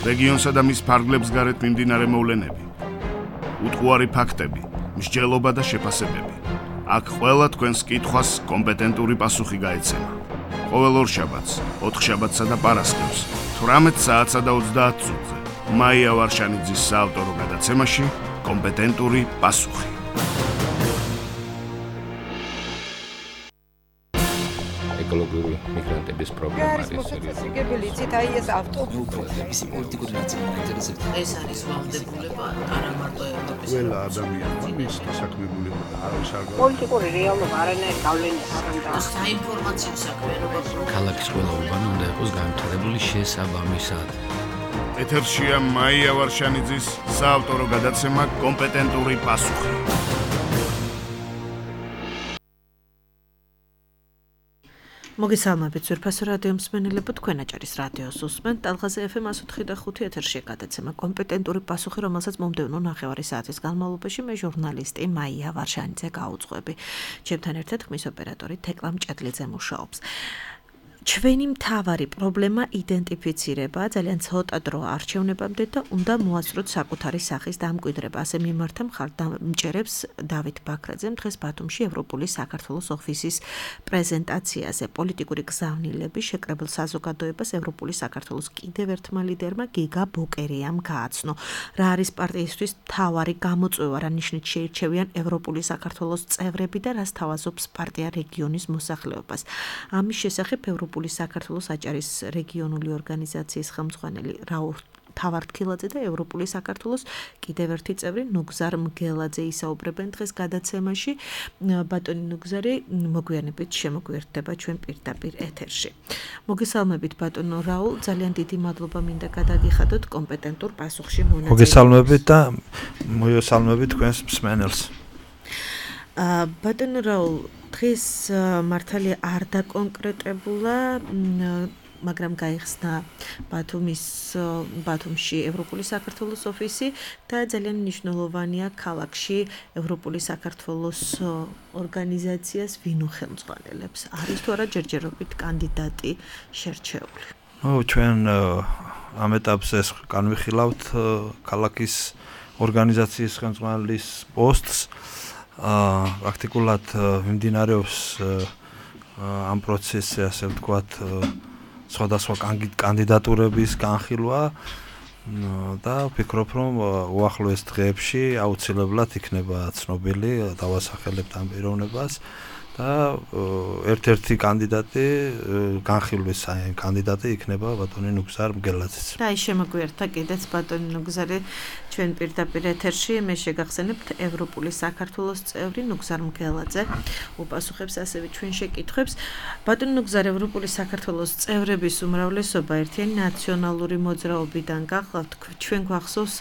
რეგიონსა და მის ფარგლებს გარეთ მიმდინარე მოვლენები, უტყუარი ფაქტები, მსჯელობა და შეფასებები. აქ ყველა თქვენს კითხვას კომპეტენტური პასუხი გაეცემა. ყოველ ორშაბათს, ოთხშაბათსა და პარასკევს, 18 საათსა და 30 წუთზე, მაია ვარშანიძის საავტორო გადაცემაში კომპეტენტური პასუხი. ეკოლოგიური მიგრანტების პრობლემა არის სერიოზული. იცით, აი ეს ავტობუსი პოლიტიკური ნაციონალური ინტერესები. ეს არის ვალდებულება არა მარტო ევროპის. ყველა ადამიანმა მის დასაქმებულება და არავის არ პოლიტიკური რეალობა არანაირ გავლენას არ აქვს. საინფორმაციო საქმიანობა ქალაქის ყველა უბანი უნდა იყოს განვითარებული შესაბამისად. ეთერშია მაია ვარშანიძის საავტორო გადაცემა კომპეტენტური პასუხი. მოგესალმებით ძვირფასო რადიო მსმენელებო, თქვენ აჭარის რადიოს უსმენთ ტალღაზე FM 104.5 ეთერშია გადაცემა კომპეტენტური პასუხი, რომელსაც მომდევნო ნახევარი საათის განმავლობაში მე ჟურნალისტი მაია ვარშანიძე გაუძღვები. ჩემთან ერთად ხმის ოპერატორი თეკლა მჭედლიძე მუშაობს. ჩვენი მთავარი პრობლემა იდენტიფიცირება, ძალიან ცოტა დრო არჩევნებამდე და უნდა მოასწროთ საკუთარი სახის დამკვიდრება. ასე მიმართა მხარდამჭერებს დავით ბაქრაძემ დღეს ბათუმში ევროპული საქართველოს ოფისის პრეზენტაციაზე. პოლიტიკური გზავნილები შეკრებილ საზოგადოებას ევროპული საქართველოს კიდევ ერთმა ლიდერმა გიგა ბოკერიამ გააცნო. რა არის პარტიისთვის მთავარი გამოწვევა, რა ნიშნით შეირჩევიან ევროპული საქართველოს წევრები და რას თავაზობს პარტია რეგიონის მოსახლეობას. ამის შესახებ ევროპული საქართველოს აჭარის რეგიონული ორგანიზაციის ხელმძღვანელი რაულ თავართქილაძე და ევროპული საქართველოს კიდევ ერთი წევრი ნუგზარ მგელაძე ისაუბრებენ დღეს გადაცემაში. ბატონი ნუგზარი მოგვიანებით შემოგვიერთდება ჩვენ პირდაპირ ეთერში. მოგესალმებით ბატონო რაულ, ძალიან დიდი მადლობა მინდა გადაგიხადოთ კომპეტენტურ პასუხში მონაწილეობას. მოგესალმებით და მოგესალმებით თქვენს მსმენელს. ბატონო რაულ, დღეს მართალია არ დაკონკრეტებულა, მაგრამ გაიხსნა ბათუმში ევროპული საქართველოს ოფისი და ძალიან მნიშვნელოვანია ქალაქში ევროპული საქართველოს ორგანიზაციას ვინ უხელმძღვანელებს. არის თუ არა ჯერჯერობით კანდიდატი შერჩეული? ჩვენ ამ ეტაპზე განვიხილავთ ქალაქის ორგანიზაციის ხელმძღვანელის პოსტს. პრაქტიკულად მიმდინარეობს ამ პროცესზე, ასე ვთქვათ, სხვადასხვა კანდიდატურების განხილვა და ვფიქრობ, რომ უახლოეს დღეებში აუცილებლად იქნება ცნობილი, დავასახელებთ ამ პიროვნებას და ერთ-ერთი კანდიდატი განხილვის კანდიდატი იქნება ბატონი ნუგზარ მგელაძეც. და ის შემოგვიერთდა კიდეც ბატონი ნუგზარი ჩვენ პირდაპირ ეთერში. მე შეგახსენებთ ევროპული საქართველოს წევრი ნუგზარ მგელაძე უპასუხებს ასევე ჩვენ შეკითხვებს. ბატონი ნუგზარ, ევროპული საქართველოს წევრების უმრავლესობა ერთიანი ნაციონალური მოძრაობიდან გახლავთ. ჩვენ გვახსოვს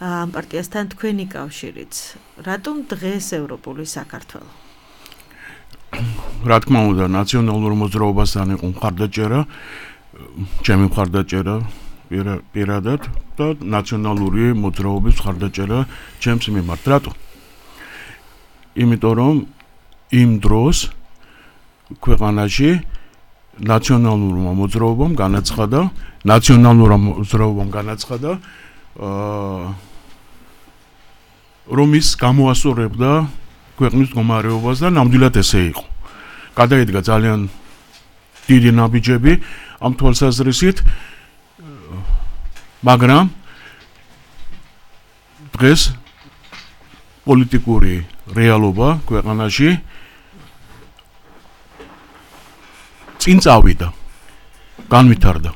ამ პარტიასთან თქვენი კავშირიც. რატომ დღეს ევროპული საქართველო? რა თქმა უნდა, ნაციონალურ მოძრაობასთან იყო მხარდაჭერა, ჩემი მხარდაჭერა პირადად და ნაციონალური მოძრაობის მხარდაჭერა ჩემს მიმართ. რატო? იმიტომ რომ იმ დროს ქვეყანაში ნაციონალურმა მოძრაობამ განაცხადა, რომ ის გამოასწორებდა ქვეყნის მდგომარეობას და ნამდვილად ესე იყო. გადაიდგა ძალიან დიდი ნაბიჯები ამ თვალსაზრისით, მაგრამ დღეს პოლიტიკური რეალობა ქვეყანაში წინ წავიდა, განვითარდა.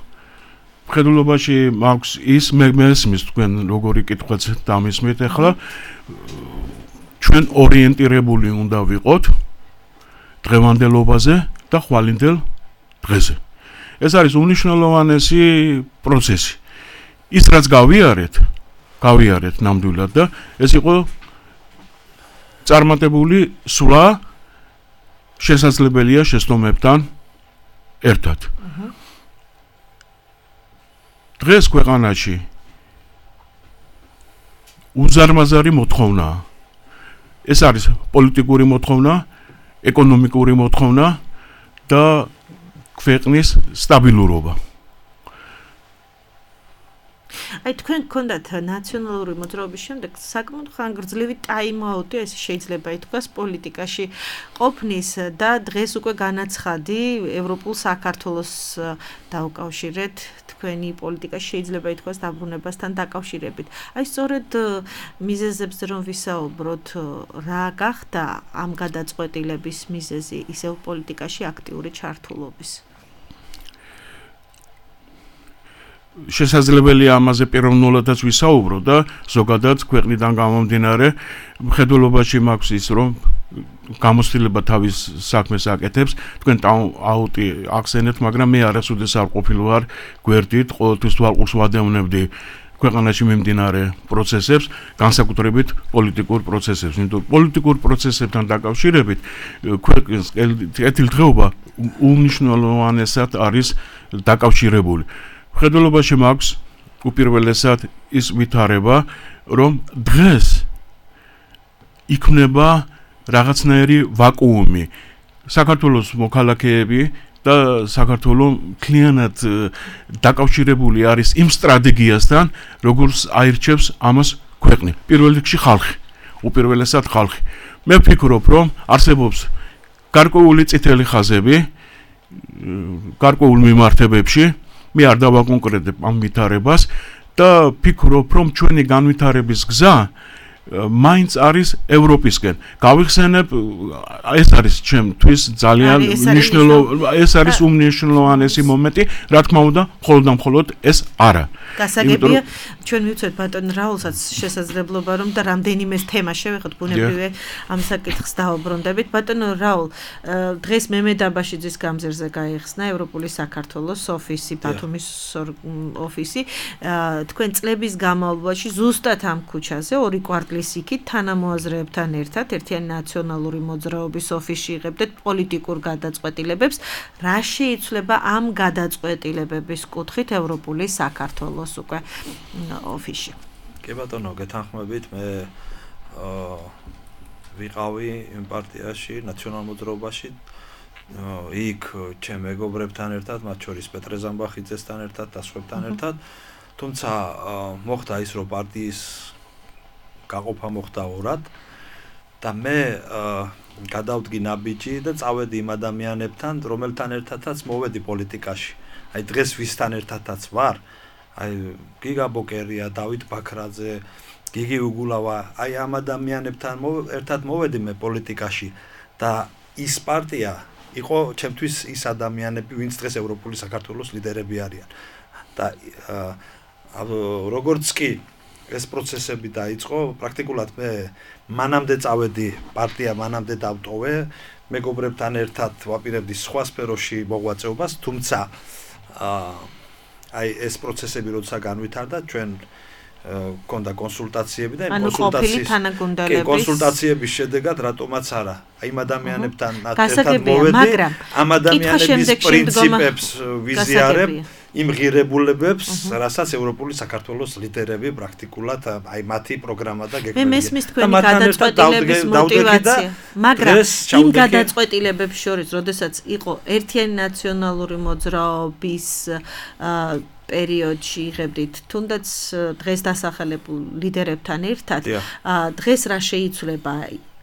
მხედველობაში მაქვს ის მესმის თქვენ როგორი კითხვაც დამისმით ახლა, ჩვენ ორიენტირებული უნდა ვიყოთ დღევანდელობაზე და ხვალინდელ დღეზე. ეს არის უნიშნელოვანესი პროცესი. ის რაც გავიარეთ ნამდვილად და ეს იყო წარმატებული სვლა შესაძლებელია შეცდომებთან ერთად. დღეს ქვეყანაში უზარმაზარი მოთხოვნა. ეს არის პოლიტიკური მოთხოვნა, ეკონომიკური მოთხოვნა და ქვეყნის სტაბილურობა. აი თქვენ გქონდათ ნაციონალური მოძრაობის შემდეგ საკმაოდ ხანგრძლივი ტაიმ-აუტი, ეს შეიძლება ითქვას პოლიტიკაში ყოფნის და დღეს უკვე განაცხადი ევროპულ საქართველოს დაუკავშირეთ თქვენი პოლიტიკა შეიძლება ითქვას დაბრუნებასთან დაკავშირებით. აი სწორედ მიზეზებზე რომ ვისაუბროთ, რა გახდა ამ გადაწყვეტილების მიზეზი ისევ პოლიტიკაში აქტიური ჩართულობის? შესაძლებელია ამაზე პიროვნულადაც ვისაუბრო და ზოგადად ქვეყნიდან გამომდინარე მხედველობაში მაქვს ის რომ გამოცდილება თავის საქმეს აკეთებს თქვენ აუტი ახსენეთ მაგრამ მე არასოდეს არ ყოფილი ვარ გვერდით ყოველთვის თვალყურს ვადევნებდი ქვეყანაში მიმდინარე პროცესებს განსაკუთრებით პოლიტიკურ პროცესებს იმიტომ პოლიტიკურ პროცესებთან დაკავშირებით ქვეყნის კეთილდღეობა უმნიშვნელოვანესად არის დაკავშირებული მხედველობაში მაქვს უპირველესად ის ვითარება, რომ დღეს იქნება რაღაცნაირი ვაკუუმი. საქართველოს მოქალაქეები და საქართველოს მთლიანად დაკავშირებული არის იმ სტრატეგიასთან, როგორც აირჩევს ამას ქვეყნი. პირველ რიგში ხალხი, უპირველესად ხალხი. მე ვფიქრობ, რომ არსებობს გარკვეული წითელი ხაზები გარკვეულ მიმართებებში მე არ დავაკონკრეტებ ამ ვითარებას და ვფიქრობ, რომ ჩვენი განვითარების გზა მაინც არის ევროპისკენ. გავიხსენებ, ეს არის ჩემთვის ძალიან ეს არის უმნიშვნელოვანესი მომენტი, რა თქმა უნდა, მხოლოდ ეს არა. გასაგებია, ჩვენ მივცეთ ბატონ რაულსაც შესაძლებლობა რომ და რამდენიმე თემა შევეხოთ ბუნებრივია ამ საკითხს დაუბრუნდებით. ბატონ რაულ, დღეს მემე დაბაშიძის გამზერზე გაიხსნა ევროპული საქართველოს ოფისი, ბათუმის ოფისი. თქვენ წლების განმავლობაში ზუსტად ამ ქუჩაზე ორი კვარტლის იქით თანამოაზრეებთან ერთად ერთიანი ნაციონალური მოძრაობის ოფისში იღებდეთ პოლიტიკურ გადაწყვეტილებებს. რა შეიცვლება ამ გადაწყვეტილებების კუთხით ევროპული საქართველოს უკვე ოფისში? კი ბატონო, გეთანხმებით, მე ვიყავი იმ პარტიაში, ნაციონალურ მოძრაობაში, იქ ჩემ მეგობრებთან ერთად, მათ შორის პეტრე ზამბახიძესთან ერთად და სხვებთან ერთად, თუმცა მოხდა ის, რომ პარტიის გაყოფა მოხდა ორად და მე გადავდგი ნაბიჯი და წავედი იმ ადამიანებთან, რომელთან ერთადაც მოვედი პოლიტიკაში. აი დღეს ვისთან ერთადაც ვარ, აი გიგა ბოკერია, დავით ბაქრაძე, გიგი უგულავა, აი ამ ადამიანებთან ერთად მოვედი მე პოლიტიკაში და ის პარტია იყო ჩემთვის ის ადამიანები, ვინც დღეს ევროპული საქართველოს ლიდერები არიან. და როგორც კი ეს პროცესები დაიწყო, პრაქტიკულად მე მანამდე წავედი პარტია, მანამდე დავტოვე, მეგობრებთან ერთად ვაპირებდი სხვა სფეროში მოღვაწეობას, თუმცა აი ეს პროცესები როცა განვითარდა, ჩვენ გქონდა კონსულტაციები და კონსულტაციების შედეგად რატომაც არა, აი იმ ადამიანებთან ერთად მოვედი, ამ ადამიანების პრინციპებს ვიზიარებ იმ ღირებულებებს, რასაც ევროპული საქართველოს ლიდერები პრაქტიკულად აი მათი პროგრამა და გეგმებია. მე მესმის თქვენი გადაწყვეტილების мотиваცია, მაგრამ იმ გადაწყვეტილებებს შორის, როდესაც იყო ერთიანი ნაციონალური მოძრაობის პერიოდში იღებდით თუნდაც დღეს დასახელებულ ლიდერებთან ერთად, დღეს რა შეიცვლება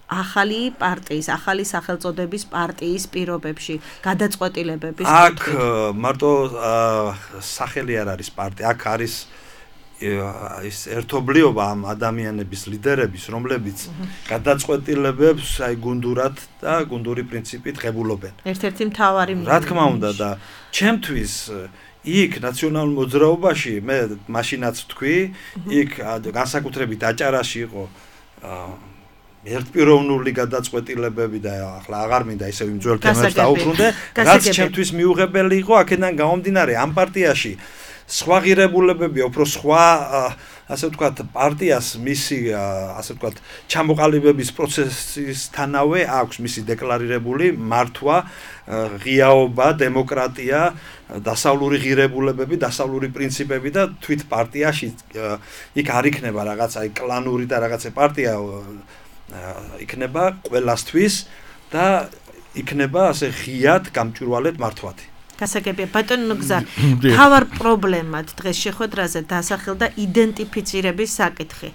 ახალი პარტიის, ახალი სახელწოდების პარტიის პირობებში გადაწყვეტილებების აქ მარტო სახელი არ არის პარტია, აქ არის ის ერთობლიობა ამ ადამიანების ლიდერების, რომლებიც გადაწყვეტილებებს აი გუნდურად და გუნდური პრინციპით ღებულობენ. ერთ-ერთი მთავარი რა თქმა უნდა და ჩემთვის იქ ნაციონალურ მოძრაობაში მე მაშინაც ვთქვი, იქ განსაკუთრებით აჭარაში იყო ერთპიროვნული გადაწყვეტილებები და ახლა აღარ მინდა ისევ იმ ძველ თემებს დაუბრუნდე, რაც ჩემთვის მიუღებელი იყო აქედან გამომდინარე ამ პარტიაში სხვა ღირებულებები, უფრო სხვა ასე ვთქვათ პარტიას მისი ასე ვთქვათ ჩამოყალიბების პროცესისთანავე აქვს მისი დეკლარირებული მართვა, ღიაობა, დემოკრატია, დასავლური ღირებულებები, დასავლური პრინციპები და თვით პარტიაში იქ არ იქნება რაღაც აი კლანური და რაღაცა პარტია იქნება ყველასთვის და იქნება ასე ღიად გამჭვირვალედ მართვადი. გასაგებია ბატონო გზა თავარ პრობლემად დღეს შეხვედრაზე დასახელდა იდენტიფიცირების საკითხი.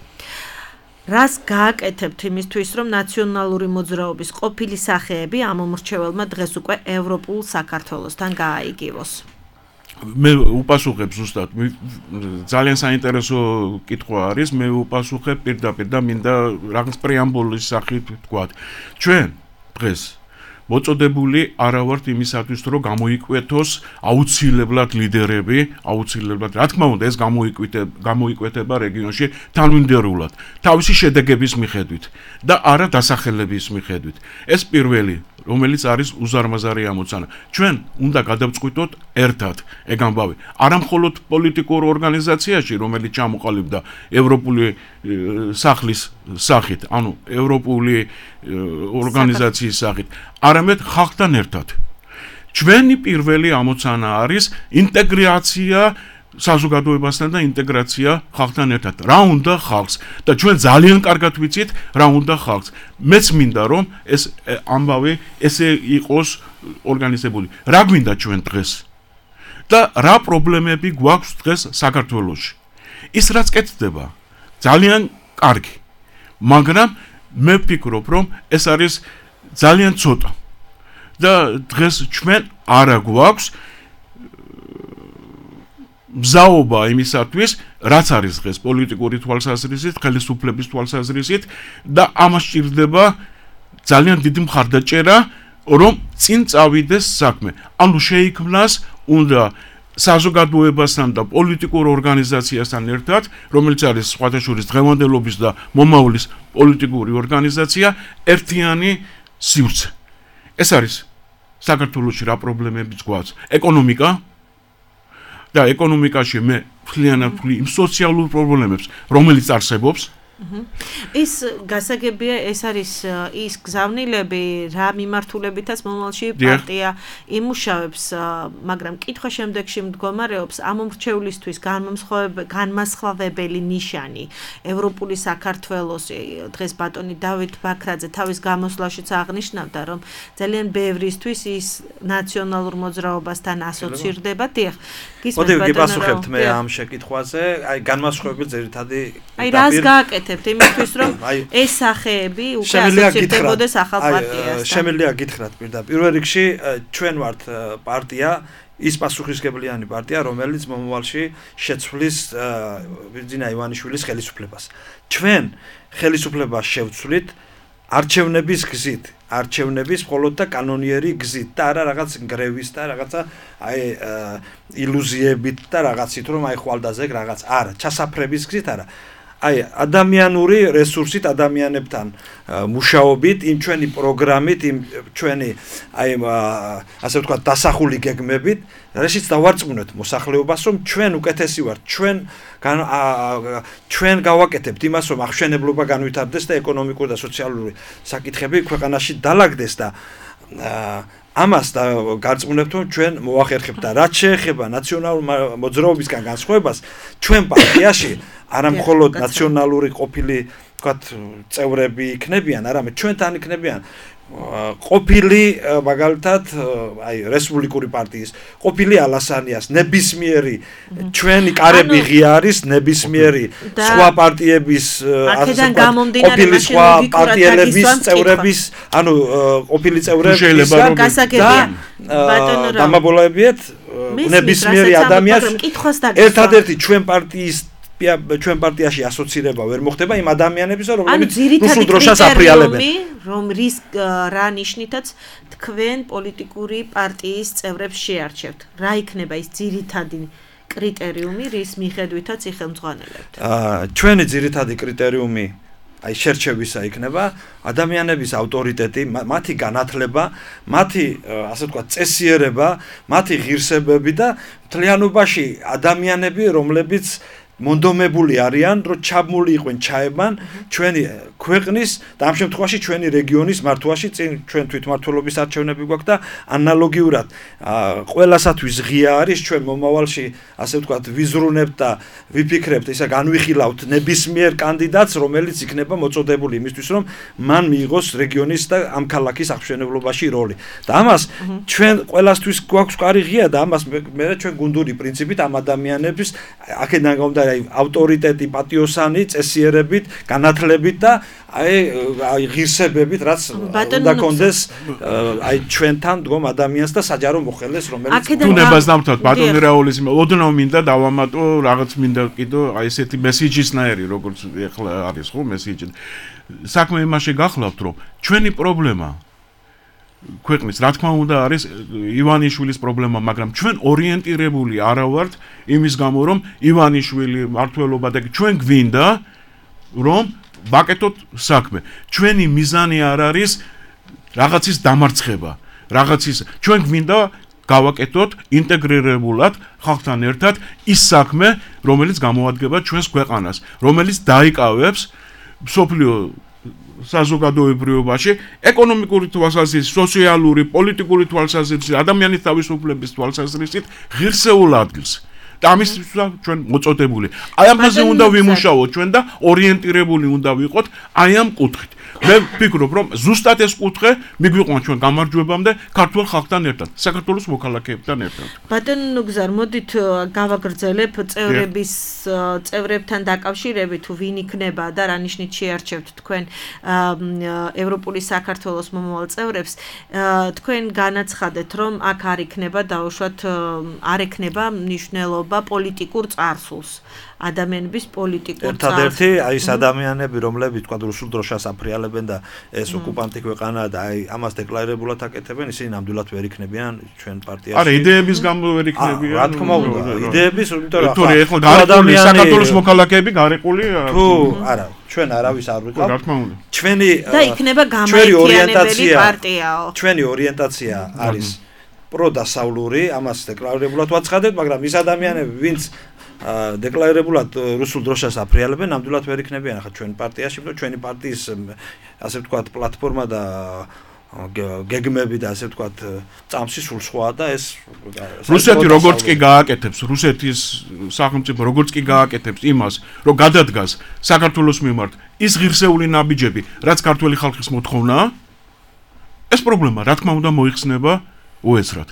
რას გააკეთებთ იმისთვის, რომ ნაციონალური მოძრაობის ყოფილი სახეები ამ მომრჩეველმა დღეს უკვე ევროპულ საქართველოსთან გააიგივოს? მე უპასუხებ ზუსტად ძალიან საინტერესო კითხვა არის მე უპასუხებ პირდაპირ და მინდა რაღაც პრეამბულის სახით ვთქვა ჩვენ დღეს მოწოდებული არა ვართ იმისათვის რომ გამოიკვეთოს აუცილებლად ლიდერები აუცილებლად რა თქმა უნდა ეს გამოიკვეთება რეგიონში თანმიმდევრულად თავისი შედეგების მიხედვით და არა დასახელების მიხედვით ეს პირველი რომელიც არის უზარმაზარი ამოცანა. ჩვენ უნდა გადავწყვიტოთ ერთად, ეგ ამბავი. არა მხოლოდ პოლიტიკურ ორგანიზაციაში, რომელიც ჩამოყალიბდა ევროპული სახლის სახით, ანუ ევროპული ორგანიზაციის სახით, არამედ ხალხთან ერთად. ჩვენი პირველი ამოცანა არის ინტეგრაცია საზოგადოებასთან და ინტეგრაცია ხალხთან ერთად. რა უნდა ხალხს და ჩვენ ძალიან კარგად ვიცით რა უნდა ხალხს. მეც მინდა რომ ეს ამბავი ესე იყოს ორგანიზებული. რა გვინდა ჩვენ დღეს? და რა პრობლემები გვაქვს დღეს საქართველოში? ის რაც კეთდება ძალიან კარგი. მაგრამ მე ვფიქრობ რომ ეს არის ძალიან ცოტა. და დღეს ჩვენ არა გვაქვს მზაობა იმისათვის, რაც არის დღეს პოლიტიკური თვალსაზრისით, ხელისუფლების თვალსაზრისით და ამას სჭირდება ძალიან დიდი მხარდაჭერა, რომ წინ წავიდეს საქმე. ანუ შეიქმნას უნდა საზოგადოებასთან და პოლიტიკურ ორგანიზაციასთან ერთად, რომელიც არის სხვათა შორის დღევანდელობის და მომავლის პოლიტიკური ორგანიზაცია, ერთიანი სივრცე. ეს არის საქართველოში რა პრობლემებიც გვაქვს? ეკონომიკა და ეკონომიკაში მე მთლიანად იმ სოციალურ პრობლემებს, რომელიც არსებობს, ის გასაგებია, ეს არის ის გზავნილები, რა მიმართულებითაც მომავალში პარტია იმუშავებს, მაგრამ კითხვა შემდეგში მდგომარეობს ამ მომრჩევლისთვის განმასხვავებელი ნიშანი ევროპული საქართველოსი. დღეს ბატონი დავით ბაქრაძე თავის გამოსვლაშიც აღნიშნავდა, რომ ძალიან ბევრისთვის ის ნაციონალურ მოძრაობასთან ასოცირდება. დიახ, გისმენთ ბატონო. გიპასუხებთ მე ამ შეკითხვაზე, აი განმასხვავებელი ძირითადი აი რას გააკეთებთ იმისთვის რომ ეს სახეები უკვე ასოცირდებოდეს ახალ პარტიასთან. შემიძლია გითხრათ პირდაპირ. პირველ რიგში ჩვენ ვართ პარტია, ის პასუხისმგებლიანი პარტია, რომელიც მომავალში შეცვლის ბიძინა ივანიშვილის ხელისუფლებას. ჩვენ ხელისუფლებას შევცვლით არჩევნების გზით, არჩევნების მხოლოდ და კანონიერი გზით და არა რაღაც გრევის და რაღაცა აი ილუზიებით და რაღაცით რომ აი ხვალდაზე რაღაც არა, ჩასაფრების გზით არა. აი ადამიანური რესურსით ადამიანებთან მუშაობით, იმ ჩვენი პროგრამით, იმ ჩვენი აი ასე ვთქვათ დასახული გეგმებით, რაშიც დავარწმუნეთ მოსახლეობას, რომ ჩვენ უკეთესი ვართ, ჩვენ გავაკეთებთ იმას, რომ აღშენებლობა განვითარდეს და ეკონომიკური და სოციალური საკითხები ქვეყანაში დაალაგდეს და ამას და გარწმუნებთ, რომ ჩვენ მოახერხებთ და რაც შეეხება ნაციონალურ მოძრაობისგან განსხვავებას, ჩვენ პარტიაში არა მხოლოდ ნაციონალური ყოფილი, თქვათ, წევრები იქნებიან, არამედ ჩვენთან იქნებიან ყოფილი მაგალითად აი რესპუბლიკური პარტიის ყოფილი ალასანიას ნებისმიერი ჩვენი კარები ღია არის ნებისმიერი სხვა პარტიების ყოფილი სხვა პარტიელების წევრების ანუ ყოფილი წევრების და დამაბოლოებიეთ ნებისმიერი ადამიანს ერთადერთი ჩვენ პარტიაში ასოცირება ვერ მოხდება იმ ადამიანების რომლებიც რუსულ დროშას აფრიალებენ რომ რის რა ნიშნითაც თქვენ პოლიტიკური პარტიის წევრებს შეარჩევთ რა იქნება ის ძირითადი კრიტერიუმი რის მიხედვითაც იხელმძღვანელებთ ჩვენი ძირითადი კრიტერიუმი აი შერჩევისა იქნება ადამიანების ავტორიტეტი, მათი განათლება, მათი ასე ვთქვათ წესიერება, მათი ღირსებები და მთლიანობაში ადამიანები, რომლებიც მონდომებული არიან, რომ ჩაბმული იყვნენ ჩაებან ჩვენი ქვეყნის და ამ შემთხვევაში ჩვენი რეგიონის მართვაში, ჩვენ თვითმმართველობის არჩევნები გვაქვს და ანალოგიურად ყველასათვის ღია არის ჩვენ მომავალში, ასე ვთქვათ, ვიზრუნებთ და ვიფიქრებთ, ისა განვიხილავთ ნებისმიერ კანდიდატს, რომელიც იქნება მოწოდებული იმისთვის, რომ მან მიიღოს რეგიონის და ამ ქალაქის აღმშენებლობაში როლი. და ამას ჩვენ ყველასთვის გვაქვს კარი ღია და ამას მე ჩვენ გუნდური პრინციპით ამ ადამიანების აქედან გამომდინარე ავტორიტეტი, პატიოსანი, წესიერებით, განათლებით და აი ღირსებებით, რაც უნდა კონდეს აი ჩვენთან დგომ ადამიანს და საჯარო მოხელეს, რომელიც თუნებას დამთავრდა ბატონი რაულის ოდნავ მინდა დავამატო რაღაც მინდა კიდო აი ესეთი მესიჯისნაირი, როგორც ეხლა არის ხო მესიჯი. საქმე იმაში გახლავთ, რომ ჩვენი პრობლემა ქვეყნის რა თქმა უნდა არის ივანიშვილის პრობლემა, მაგრამ ჩვენ ორიენტირებული არა ვართ იმის გამო, რომ ივანიშვილი მართლობა და ჩვენ გვინდა რომ ვაკეთოთ საქმე. ჩვენი მიზანი არ არის რაღაცის დამარცხება, რაღაცის ჩვენ გვინდა გავაკეთოთ ინტეგრირებულად ხალხთან ერთად ის საქმე, რომელიც გამოადგება ჩვენს ქვეყანას, რომელიც დაიკავებს მსოფლიო საზოგადოებრივობაში ეკონომიკური თვალსაზრისით, სოციალური, პოლიტიკური თვალსაზრისით, ადამიანის თავისუფლების თვალსაზრისით ღირსეულ ადგილს. და ამისთვის ჩვენ მოწოდებული. აი ამაზე უნდა ვიმუშაოთ ჩვენ და ორიენტირებული უნდა ვიყოთ აი ამ კუთხით. მე ვფიქრობ, რომ ზუსტად ეს კუთხე მიგვიყვანს ჩვენ გამარჯვებამდე ქართულ ხალხთან ერთად, საქართველოს მოქალაქეებთან ერთად. ბატონო გზარ, მოდით გავაგრძელებ წევრებთან დაკავშირებით, თუ ვინ იქნება და რა ნიშნით შეარჩევთ თქვენ ევროპული საქართველოს მომავალ წევრებს, თქვენ განაცხადეთ, რომ აქ არ იქნება დაუშვათ არ ექნება მნიშვნელობა პოლიტიკურ წარსულს. ადამიანების პოლიტიკურ ერთადერთი აი ეს ადამიანები, რომლებიც თქვა რუსულ დროშას აფრიალებენ და ეს ოკუპანტი ქვეყანა და აი ამას დეკლარირებულად აკეთებენ, ისინი ნამდვილად ვერ იქნებიან ჩვენ პარტიაში. არა, იდეების გამო ვერ იქნებიან. რა თქმა უნდა, იდეების, იმიტომ რომ ახლა ადამიანები საქართველოს მოქალაქეები გარეკული თუ არა, ჩვენ არავის არ ვიყავ. რა თქმა უნდა. ჩვენი და იქნება გამაერთიანებელი პარტიაო. ჩვენი ორიენტაცია არის პროდასავლური, ამას დეკლარირებულად ვაცხადებ, მაგრამ ის ადამიანები, ვინც დეკლარირებულად რუსულ დროშას აფრიალებენ, ნამდვილად ვერ იქნებიან ახლა ჩვენ პარტიაში, იმიტომ ჩვენი პარტიის ასე ვთქვათ პლატფორმა და გეგმები და ასე ვთქვათ წამსი სულ სხვაა და ეს რუსეთი როგორც კი გააკეთებს, რუსეთის სახელმწიფო როგორც კი გააკეთებს იმას, რომ გადადგას საქართველოს მიმართ ის ღირსეული ნაბიჯები, რაც ქართული ხალხის მოთხოვნაა, ეს პრობლემა რა თქმა უნდა მოიხსნება უეცრად.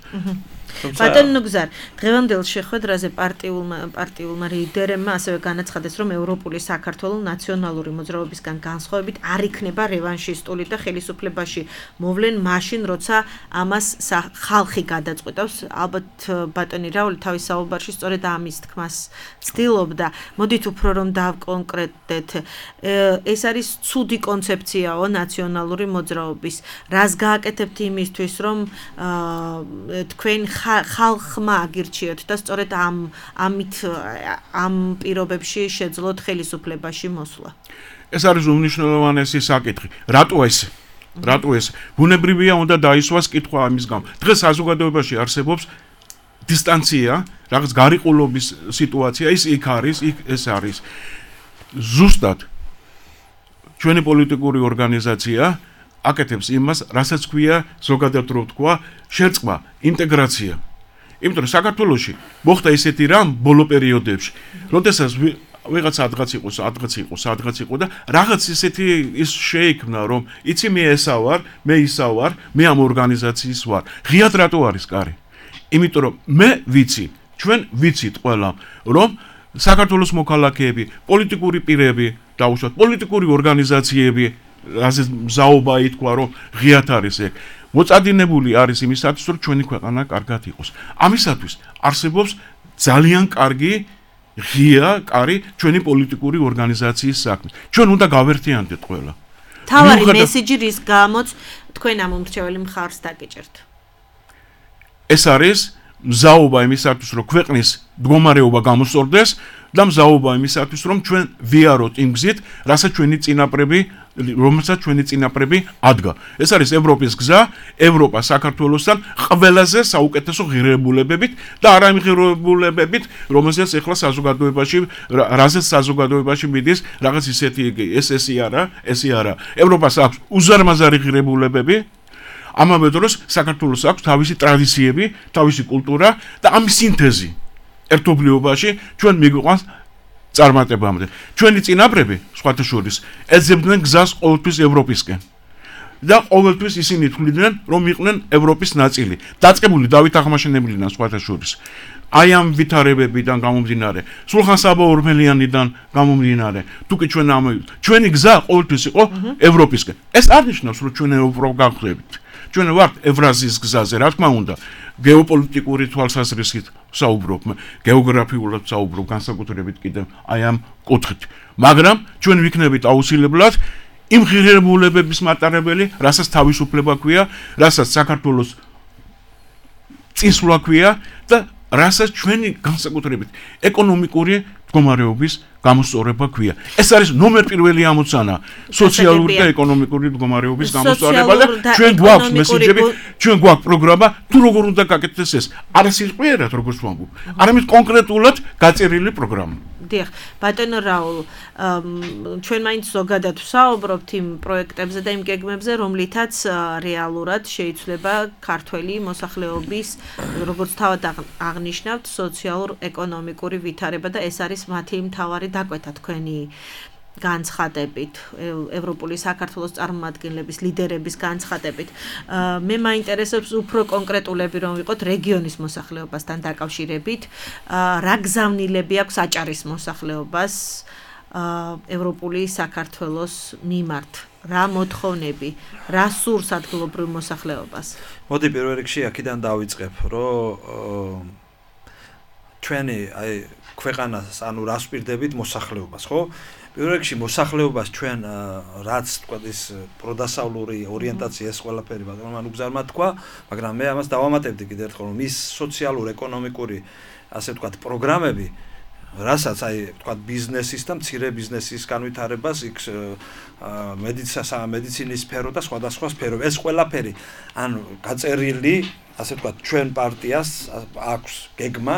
ბატონო გზარ, დღევანდელ შეხვედრაზე პარტიულმა ლიდერებმა ასევე განაცხადეს, რომ ევროპული საქართველო ნაციონალური მოძრაობისგან განსხვავებით არ იქნება რევანშისტული და ხელისუფლებაში მოვლენ მაშინ, როცა ამას ხალხი გადაწყვეტავს. ალბათ ბატონი რაული თავის საუბარში სწორედ ამის თქმას ცდილობდა. მოდით უფრო რომ დავკონკრეტდეთ, ეს არის ცუდი კონცეფციაო ნაციონალური მოძრაობის. რას გააკეთებთ იმისთვის, რომ თქვენ ხალხმა აგირჩიოთ და სწორედ ამ პირობებში შეძლოთ ხელისუფლებაში მოსვლა. ეს არის უმნიშვნელოვანესი საკითხი. რატო ეს? ბუნებრივია უნდა დაისვას კითხვა ამის გამო. დღეს საზოგადოებაში არსებობს დისტანცია, რაღაც გარიყულობის სიტუაცია, ის იქ არის, ეს არის. ზუსტად ჩვენი პოლიტიკური ორგანიზაცია აკეთებს იმას, რასაც ქვია ზოგადად რო თქვა, შერწყმა, ინტეგრაცია. იმიტომ რომ საქართველოში მოხდა ისეთი რამ ბოლო პერიოდებში, როდესაც ვიღაც ადღაც იყო და რაღაც ისეთი ის შეიქმნა, რომ იცი მე ესა ვარ, მე ისა ვარ, მე ამ ორგანიზაციის ვარ. ღიად რატო არის კარი? იმიტომ რომ მე ვიცი, ჩვენ ვიცით ყველა, რომ საქართველოს მოქალაქეები, პოლიტიკური პირები, დაუშვათ პოლიტიკური ორგანიზაციები რაზე მზაობა ითქვა, რომ ღიად არის ეგ. მოწადინებული არის იმისათვის, რომ ჩვენი ქვეყანა კარგად იყოს. ამისათვის არსებობს ძალიან კარგი ღია კარი ჩვენი პოლიტიკური ორგანიზაციის საქმე. ჩვენ უნდა გავერთიანდეთ ყველა. თავარი მესიჯი რის გამოც თქვენ ამ უმრჩეველი მხარს დაგეჭერთ. ეს არის მზაობა იმისათვის, რომ ქვეყნის მდგომარეობა გამოსწორდეს, და მზაობა იმისათვის, რომ ჩვენ ვიაროთ იმ გზით, რასაც ჩვენი წინაპრები ადგა. ეს არის ევროპის გზა, ევროპა საქართველოსთან ყველაზე საუკეთესო ღირებულებებით და არა იმ ღირებულებებით, რომელსაც ეხლა საზოგადოებაში მიდის რაღაც ისეთი ესე არა. ევროპას აქვს უზარმაზარი ღირებულებები. ამავე დროს საქართველოს აქვს თავისი ტრადიციები, თავისი კულტურა და ამის სინთეზი ერთობლიობაში ჩვენ მიგვიყვანს წარმატებამდე. ჩვენი წინაპრები, სხვათა შორის, ეძებდნენ გზას ყოველთვის ევროპისკენ. და ყოველთვის ისინი თვლიდნენ, რომ იყვნენ ევროპის ნაწილი. დაწყებული დავით აღმაშენებლიდან სხვათა შორის. აი ამ ვითარებებიდან გამომდინარე, სულხან-საბა ორმელიანიდან გამომდინარე, თუკი ჩვენი გზა ყოველთვის იყო ევროპისკენ. ეს არ ნიშნავს, რომ ჩვენ ევროპა გავხდებით. ჩვენ ვართ ევრაზიის გზაზე, რა თქმა უნდა, გეოპოლიტიკური თვალსაზრისით საუბრობ, გეოგრაფიულად საუბრობ, განსაკუთრებით კიდევ აი ამ კუთხით. მაგრამ ჩვენ ვიქნებით აუცილებლად იმ ღირებულებების მატარებელი, რასაც თავისუფლება ქვია, რასაც საქართველოს წინსვლა ქვია და რასაც ჩვენი განსაკუთრებით ეკონომიკური მდგომარეობის გამოსწორება ქვია. ეს არის ნომერ პირველი ამოცანა სოციალური და ეკონომიკური მდგომარეობის გამოსწორება და ჩვენ გვაქვს მესიჯები, ჩვენ გვაქვს პროგრამა, თუ როგორ უნდა გაკეთდეს ეს. არა სიტყვიერად როგორც ვამბობ, არამედ კონკრეტულად გაწერილი პროგრამა. დიახ, ბატონო რაულ, ჩვენ მაინც ზოგადად ვსაუბრობთ იმ პროექტებზე და იმ გეგმებზე, რომლითაც რეალურად შეიძლება ქართველი მოსახლეობის, როგორც თავად აღნიშნავთ, სოციალურ-ეკონომიკური ვითარება და ეს არის მათი მთავარი დაკვეთა თქვენი განცხადებით, ევროპული საქართველოს წარმომადგენლების, ლიდერების განცხადებით. მე მაინტერესებს უფრო კონკრეტულები რომ ვიყოთ რეგიონის მოსახლეობასთან დაკავშირებით, რა გზავნილები აქვს აჭარის მოსახლეობას ევროპული საქართველოს მიმართ, რა მოთხოვნები, რა სურს ადგილობრივ მოსახლეობას. მოდი პირველ რიგში აქედან დავიწყებ, რომ ჩვენი აი ქვეყანას, ანუ რას ვპირდებით მოსახლეობას, ხო? პირველ რიგში მოსახლეობას ჩვენ რაც თქვა ის პროდასავლური ორიენტაცია ეს ყველაფერი ბატონმა უგზარმა თქვა, მაგრამ მე ამას დავამატებდი კიდევ ერთხელ, რომ ის სოციალურ-ეკონომიკური ასე ვთქვათ პროგრამები, რასაც აი ვთქვათ ბიზნესის და მცირე ბიზნესის განვითარებას, იქ მედიცინის სფერო და სხვადასხვა სფერო, ეს ყველაფერი ანუ გაწერილი, ასე ვთქვათ, ჩვენ პარტიას აქვს გეგმა.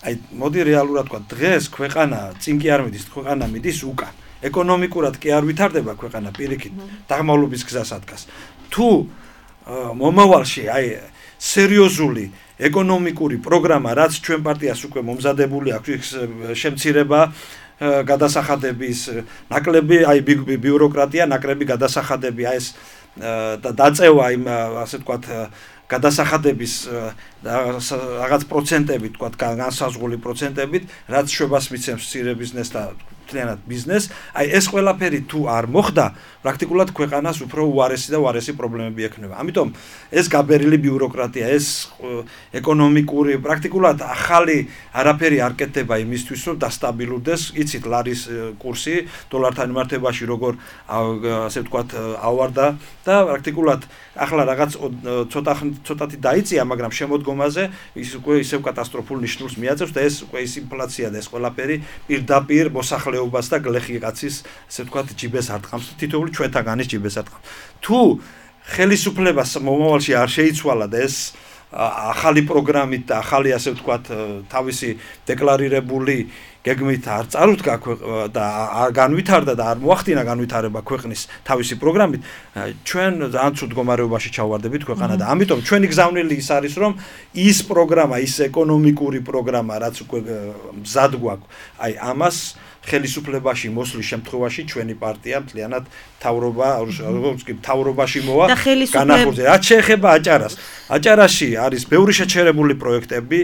აი მოდი რეალურად თქვა დღეს ქვეყანა წინ კი არ მიდის, ქვეყანა მიდის უკან. ეკონომიკურად კი არ ვითარდება ქვეყანა პირიქით, დაღმავლობის გზას ადგას. თუ მომავალში აი სერიოზული ეკონომიკური პროგრამა, რაც ჩვენ პარტიას უკვე მომზადებული აქვს, შემცირება გადასახადების, ნაკლები აი ბიუროკრატია, ნაკლები გადასახადები, აი ეს და დაწევა იმ ასე ვთქვათ გადასახადების რაღაც პროცენტებით, თქვა განსაზღვრული პროცენტებით, რაც შვებას მიცემს მცირე ბიზნესს და მთლიანად ბიზნესს, აი ეს ყველაფერი თუ არ მოხდა, პრაქტიკულად ქვეყანას უფრო უარესი და უარესი პრობლემები ექნება. ამიტომ ეს გაბერილი ბიუროკრატია, ეს ეკონომიკური, პრაქტიკულად ახალი არაფერი არ კეთდება იმისთვის, რომ დასტაბილურდეს, იცით ლარის კურსი დოლართან მიმართებაში როგორ ასე ვთქვათ ავარდა და პრაქტიკულად ახლა რაღაც ცოტათი დაიწია, მაგრამ შემოდგომაზე ის უკვე ისევ კატასტროფულ ნიშნულს მიაწევს და ეს უკვე ის ინფლაცია და ეს ყველაფერი პირდაპირ მოსახლეობას და გლეხი კაცის, ასე ვთქვათ, ჯიბეს არტყამს, თითოეული ჩვენთაგანის ჯიბეს არტყამს. თუ ხელისუფლებას მომავალში არ შეიცვალა და ეს ახალი პროგრამით და ახალი, ასე ვთქვათ, თავისი დეკლარირებული გეგმით არ წარუდგა და არ განვითარდა და არ მოახდინა განვითარება ქვეყნის თავისი პროგრამით, ჩვენ ძალიან ცუდ მდგომარეობაში ჩავარდებით ქვეყანა და ამიტომ ჩვენი გზავნილი ის არის, რომ ის პროგრამა, ის ეკონომიკური პროგრამა, რაც უკვე მზად გვაქვს, აი ამას ხელისუფლებაში მოსვლის შემთხვევაში ჩვენი პარტია მთლიანად თავრობაში მოვა განახორციელებს. რაც შეეხება აჭარას, აჭარაში არის ბევრი შეჩერებული პროექტები,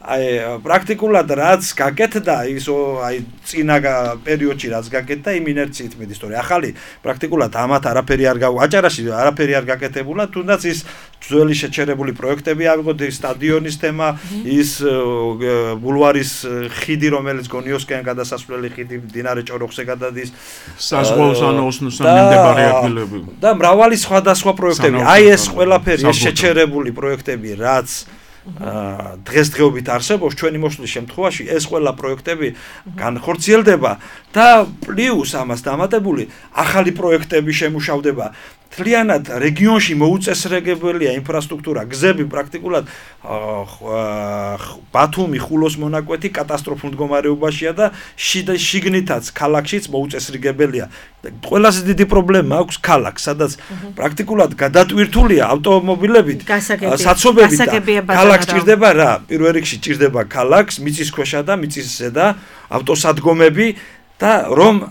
აი პრაქტიკულად რაც გაკეთდა ის აი წინა პერიოდში რაც გაკეთდა იმ ინერციით მიდის, თორე ახალი პრაქტიკულად ამათ არაფერი არ აჭარაში არაფერი არ გაკეთებულა, თუნდაც ის ძველი შეჩერებული პროექტები ავიღოთ, ის სტადიონის თემა, ის ბულვარის ხიდი, რომელიც გონიოსკენ გადასასვლელი ხიდი მდინარე ჭოროხზე გადადის, საზღვაოს ანაოსნოსთან მიმდებარე ადგილები და მრავალი სხვადასხვა პროექტები. აი ეს ყველაფერი, ეს შეჩერებული პროექტები, რაც დღესდღეობით არსებობს ჩვენი მოსვლის შემთხვევაში ეს ყველა პროექტები განხორციელდება და პლუს ამას დამატებული ახალი პროექტები შემუშავდება მთლიანად რეგიონში მოუწესრიგებელია ინფრასტრუქტურა გზები პრაქტიკულად ბათუმი ხულოს მონაკვეთი კატასტროფულ მდგომარეობაშია და შიგნითაც ქალაქშიც მოუწესრიგებელია ყველაზე დიდი პრობლემა აქვს ქალაქს სადაც პრაქტიკულად გადატვირთულია ავტომობილებით საცობებით ქალაქს ჭირდება რა პირველ რიგში ჭირდება ქალაქს მიწისქვეშა და მიწის ზედა ავტოსადგომები და რომ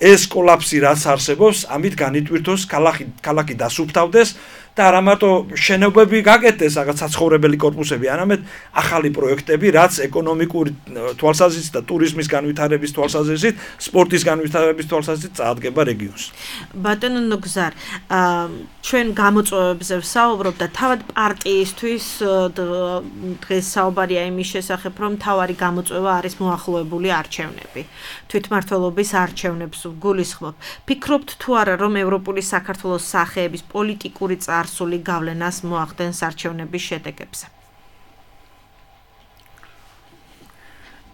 ეს კოლაფსი რაც არსებობს, ამით განიტვირთოს ქალაქი დასუფთავდეს და არა მარტო შენობები გაკეთდეს, რაღაც საცხოვრებელი კორპუსები, არამედ ახალი პროექტები, რაც ეკონომიკური თვალსაზრისით და ტურიზმის განვითარების თვალსაზრისით, სპორტის განვითარების თვალსაზრისით წაადგება რეგიონს. ბატონო ნუგზარ, ჩვენ გამოწვევებზე ვსაუბრობ და თავად პარტიისთვის დღეს საუბარია იმის შესახებ, რომ თავარი გამოწვევა არის მოახლოებული არჩევნები. თვითმმართველობის არჩევნებს გულისხმობ. ფიქრობთ თუ არა, რომ ევროპული საქართველოს სახეების პოლიტიკური წარსული გავლენას მოახდენს არჩევნების შედეგებზე?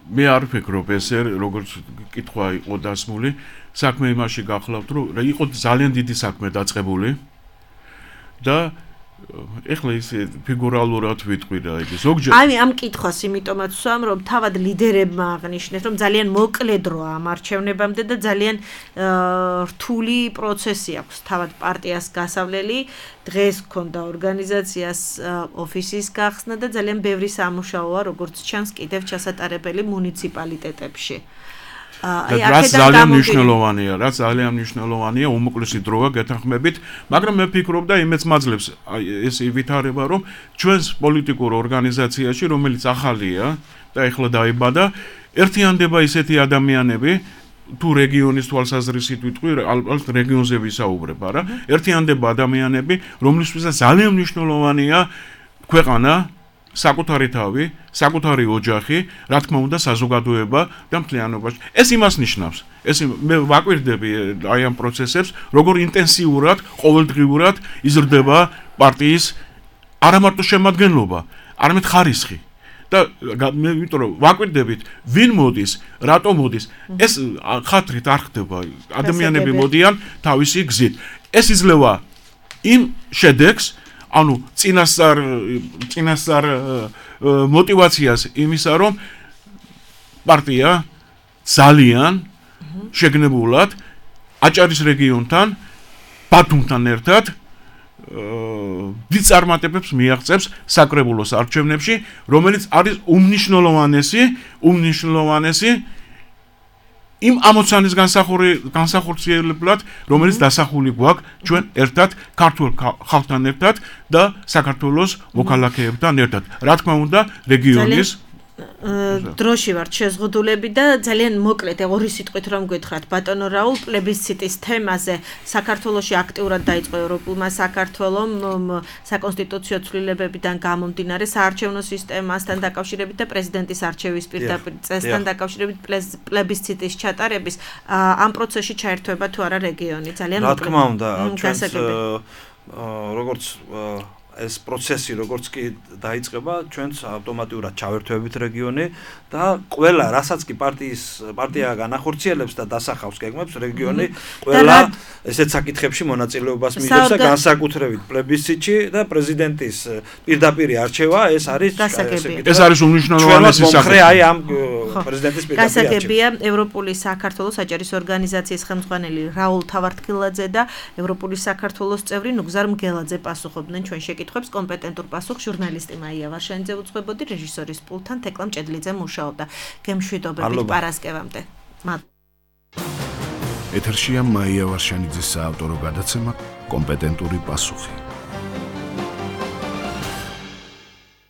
მე არ ვფიქრობ ესე, როგორც კითხვა იყო დასმული, საქმე იმაში გახლავთ, რომ იყო ძალიან დიდი საქმე დაწყებული და ეხლა ის ფიგურალურად ვიტყვი რა იგი ზოგჯერ ამ კითხვას იმიტომაც ვსვამ რომ თავად ლიდერებმა აღნიშნეს რომ ძალიან მოკლე დროა ამ არჩევნებამდე და ძალიან რთული პროცესი აქვს თავად პარტიას გასავლელი დღეს გქონდა ორგანიზაციას ოფისის გახსნა და ძალიან ბევრი სამუშაოა როგორც ჩანს კიდევ ჩასატარებელი მუნიციპალიტეტებში რაც ძალიან მნიშვნელოვანია უმოკლესი დროა გეთანხმებით, მაგრამ მე ვფიქრობ და იმეც მაძლევს ეს ვითარება, რომ ჩვენს პოლიტიკურ ორგანიზაციაში, რომელიც ახალია და ეხლა დაიბადა, ერთიანდება ისეთი ადამიანები, თუ რეგიონის თვალსაზრისით ვიტყვი, ალბათ რეგიონზე ვისაუბრებ, არა? ერთიანდება ადამიანები, რომლისთვისაც ძალიან მნიშვნელოვანია ქვეყანა საკუთარი თავი, საკუთარი ოჯახი, რა თქმა უნდა, საზოგადოება და მთლიანობაში. ეს იმას ნიშნავს. მე ვაკვირდები აი ამ პროცესებს, როგორ ინტენსიურად, ყოველდღიურად იზრდება პარტიის არა მარტო შემადგენლობა, არამედ ხარისხი. და მე ვიტყვი, რომ ვაკვირდებით, ვინ მოდის, რატო მოდის, ეს ხათრით არ ხდება. ადამიანები მოდიან თავისი გზით. ეს იძლევა იმ შედეგს ანუ წინასწარ мотивациას იმისა რომ პარტია ძალიან შეგნებულად აჭარის რეგიონთან ბათუმთან ერთად დიდ წარმატებებს მიაღწევს საკრებულოს არჩევნებში რომელიც არის უმნიშვნელოვანესი იმ ამოცანის განსახორციელებლად, რომელიც დასახული გვაქვს ჩვენ ერთად ქართულ ხალხთან ერთად და საქართველოს მოქალაქეებთან ერთად. რა თქმა უნდა, რეგიონის დროში ვართ შეზღუდულები და ძალიან მოკლედ ორი სიტყვით რომ გითხრათ ბატონო რაულ პლებისციტის თემაზე საქართველოში აქტიურად დაიწყო ევროპულმა საქართველომ საკონსტიტუციო ცვლილებებიდან გამომდინარე საარჩევნო სისტემასთან დაკავშირებით და პრეზიდენტის არჩევის პირდაპირ წესთან დაკავშირებით პლებისციტის ჩატარების ამ პროცესში ჩაერთვება თუ არა რეგიონი ძალიან მოკლედ რა თქმა უნდა ჩვენს როგორც ეს პროცესი როგორც კი დაიწყება ჩვენს ავტომატურად ჩავერთვებით რეგიონი და ყველა რასაც კი პარტია განახორციელებს და დასახავს გეგმებს რეგიონი ყველა ესეთ საკითხებში მონაწილეობას მიიღებს და განსაკუთრებით პლებისციტში და პრეზიდენტის პირდაპირ არჩევა ეს არის უმნიშვნელოვანესი საკითხი აი ამ პრეზიდენტის პირდაპირ არჩევა გასაგებია ევროპული საქართველოს აჭარის ორგანიზაციის ხელმძღვანელი რაულ თავართქილაძე და ევროპული საქართველოს წევრი ნუგზარ მგელაძე პასუხობდნენ ჩვენ შეკითხვებს კომპეტენტურ პასუხს ჟურნალისტი მაია ვარშანიძე უძღვებოდი რეჟისორის პულტთან თეკლა მჭედლიძე მუშაობდა გემშვიდობებით პარასკევამდე ეთერშია მაია ვარშანიძის საავტორო გადაცემა კომპეტენტური პასუხი